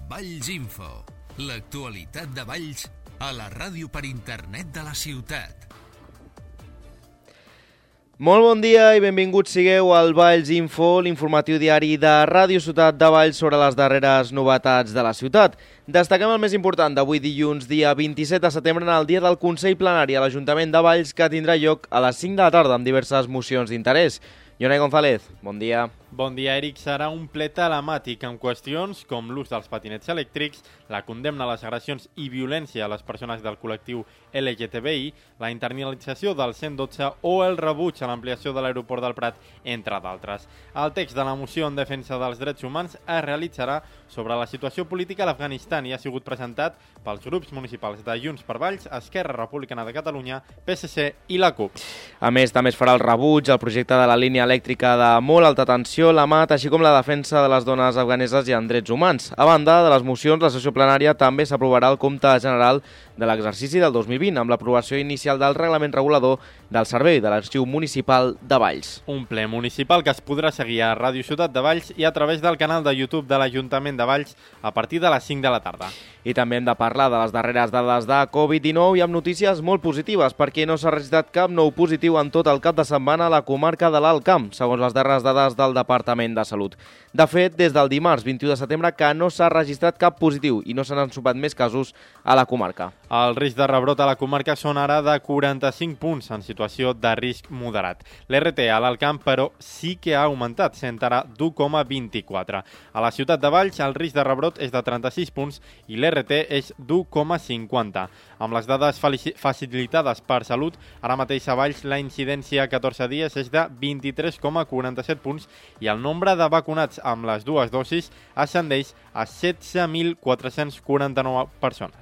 Valls Info, l'actualitat de Valls a la ràdio per internet de la ciutat. Molt bon dia i benvinguts sigueu al Valls Info, l'informatiu diari de Ràdio Ciutat de Valls sobre les darreres novetats de la ciutat. Destaquem el més important d'avui dilluns, dia 27 de setembre, en el dia del Consell Plenari a l'Ajuntament de Valls, que tindrà lloc a les 5 de la tarda amb diverses mocions d'interès. Jonai González, bon dia. Bon dia, Eric. Serà un ple telemàtic amb qüestions com l'ús dels patinets elèctrics, la condemna a les agressions i violència a les persones del col·lectiu LGTBI, la internalització del 112 o el rebuig a l'ampliació de l'aeroport del Prat, entre d'altres. El text de la moció en defensa dels drets humans es realitzarà sobre la situació política a l'Afganistan i ha sigut presentat pels grups municipals de Junts per Valls, Esquerra Republicana de Catalunya, PSC i la CUP. A més, també es farà el rebuig al projecte de la línia elèctrica de molt alta tensió, la MAT, així com la defensa de les dones afganeses i en drets humans. A banda de les mocions, la sessió plenària també s'aprovarà el compte general de l'exercici del 2020, amb l'aprovació inicial del reglament regulador del Servei de l'Arxiu Municipal de Valls. Un ple municipal que es podrà seguir a Ràdio Ciutat de Valls i a través del canal de YouTube de l'Ajuntament de Valls a partir de les 5 de la tarda. I també hem de parlar de les darreres dades de Covid-19 i amb notícies molt positives, perquè no s'ha registrat cap nou positiu en tot el cap de setmana a la comarca de l'Alt Camp, segons les darreres dades del Departament de Salut. De fet, des del dimarts 21 de setembre que no s'ha registrat cap positiu i no se n'han sumat més casos a la comarca. El risc de rebrot a la comarca són ara de 45 punts en situació de risc moderat. L'RT a l'Alt Camp, però, sí que ha augmentat, sent ara d'1,24. A la ciutat de Valls, el risc de rebrot és de 36 punts i l'RT és d'1,50. Amb les dades facilitades per Salut, ara mateix a Valls la incidència a 14 dies és de 23,47 punts i el nombre de vacunats amb les dues dosis ascendeix a 16.449 persones.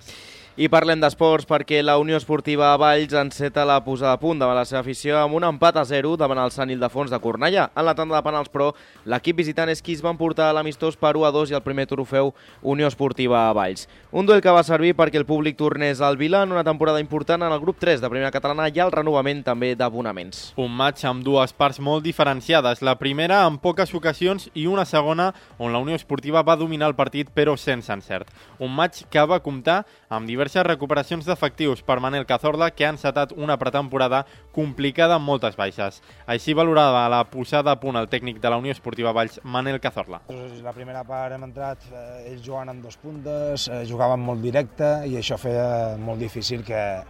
I parlem d'esports perquè la Unió Esportiva Valls enceta la posada a punt davant la seva afició amb un empat a 0 davant el Sant Ildefons de Cornellà. En la tanda de penals, però, l'equip visitant és qui es va emportar l'amistós per 1-2 i el primer trofeu Unió Esportiva Valls. Un duel que va servir perquè el públic tornés al Vila en una temporada important en el grup 3 de Primera Catalana i el renovament també d'abonaments. Un maig amb dues parts molt diferenciades. La primera en poques ocasions i una segona on la Unió Esportiva va dominar el partit però sense encert. Un maig que va comptar amb diverses recuperacions d'efectius per Manel Cazorla, que ha encetat una pretemporada complicada amb moltes baixes. Així valorava la posada a punt el tècnic de la Unió Esportiva Valls, Manel Cazorla. La primera part hem entrat, ells jugant amb dos puntes, jugaven molt directe i això feia molt difícil que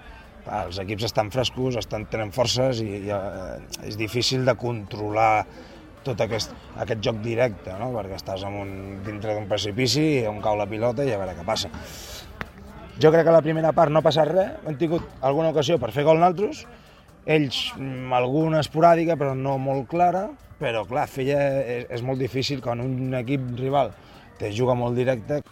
els equips estan frescos, tenen forces i és difícil de controlar tot aquest joc directe, no? Perquè estàs dintre d'un precipici on cau la pilota i a veure què passa. Jo crec que a la primera part no ha passat res, hem tingut alguna ocasió per fer gol nosaltres, ells alguna esporàdica però no molt clara, però clar, és molt difícil quan un equip rival te juga molt directe.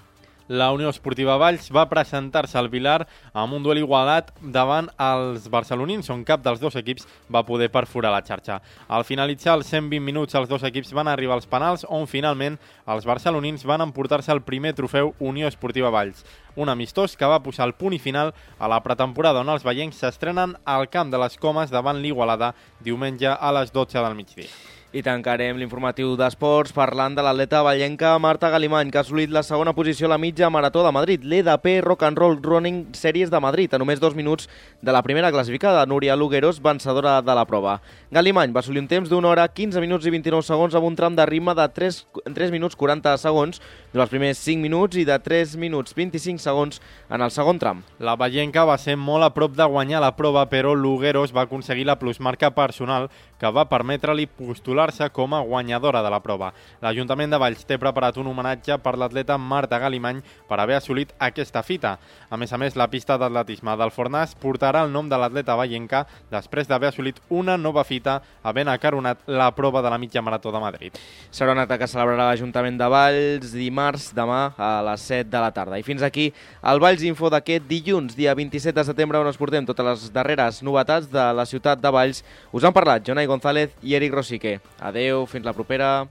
La Unió Esportiva Valls va presentar-se al Vilar amb un duel igualat davant els barcelonins, on cap dels dos equips va poder perforar la xarxa. Al finalitzar els 120 minuts, els dos equips van arribar als penals, on finalment els barcelonins van emportar-se el primer trofeu Unió Esportiva Valls. Un amistós que va posar el punt i final a la pretemporada on els veiencs s'estrenen al Camp de les Comes davant l'Igualada diumenge a les 12 del migdia. I tancarem l'informatiu d'esports parlant de l'atleta vallenca Marta Galimany, que ha assolit la segona posició a la mitja marató de Madrid, l'EDP Rock and Roll Running Series de Madrid, a només 2 minuts de la primera classificada, Núria Lugueros, vencedora de la prova. Galimany va assolir un temps d'1 hora, 15 minuts i 29 segons amb un tram de ritme de 3 minuts 40 segons durant els primers 5 minuts i de 3 minuts 25 segons en el segon tram. La vallenca va ser molt a prop de guanyar la prova, però Lugueros va aconseguir la plusmarca personal que va permetre-li postular-se com a guanyadora de la prova. L'Ajuntament de Valls té preparat un homenatge per l'atleta Marta Galimany per haver assolit aquesta fita. A més, la pista d'atletisme del Fornàs portarà el nom de l'atleta vallenca després d'haver assolit una nova fita havent acaronat la prova de la mitja marató de Madrid. Serà un acte que celebrarà l'Ajuntament de Valls dimarts, demà a les 7 de la tarda. I fins aquí el Valls Info d'aquest dilluns, dia 27 de setembre, on us portem totes les darreres novetats de la ciutat de Valls. Us han parlat Jonai González i Eric Rosique. Adeu, fins la propera.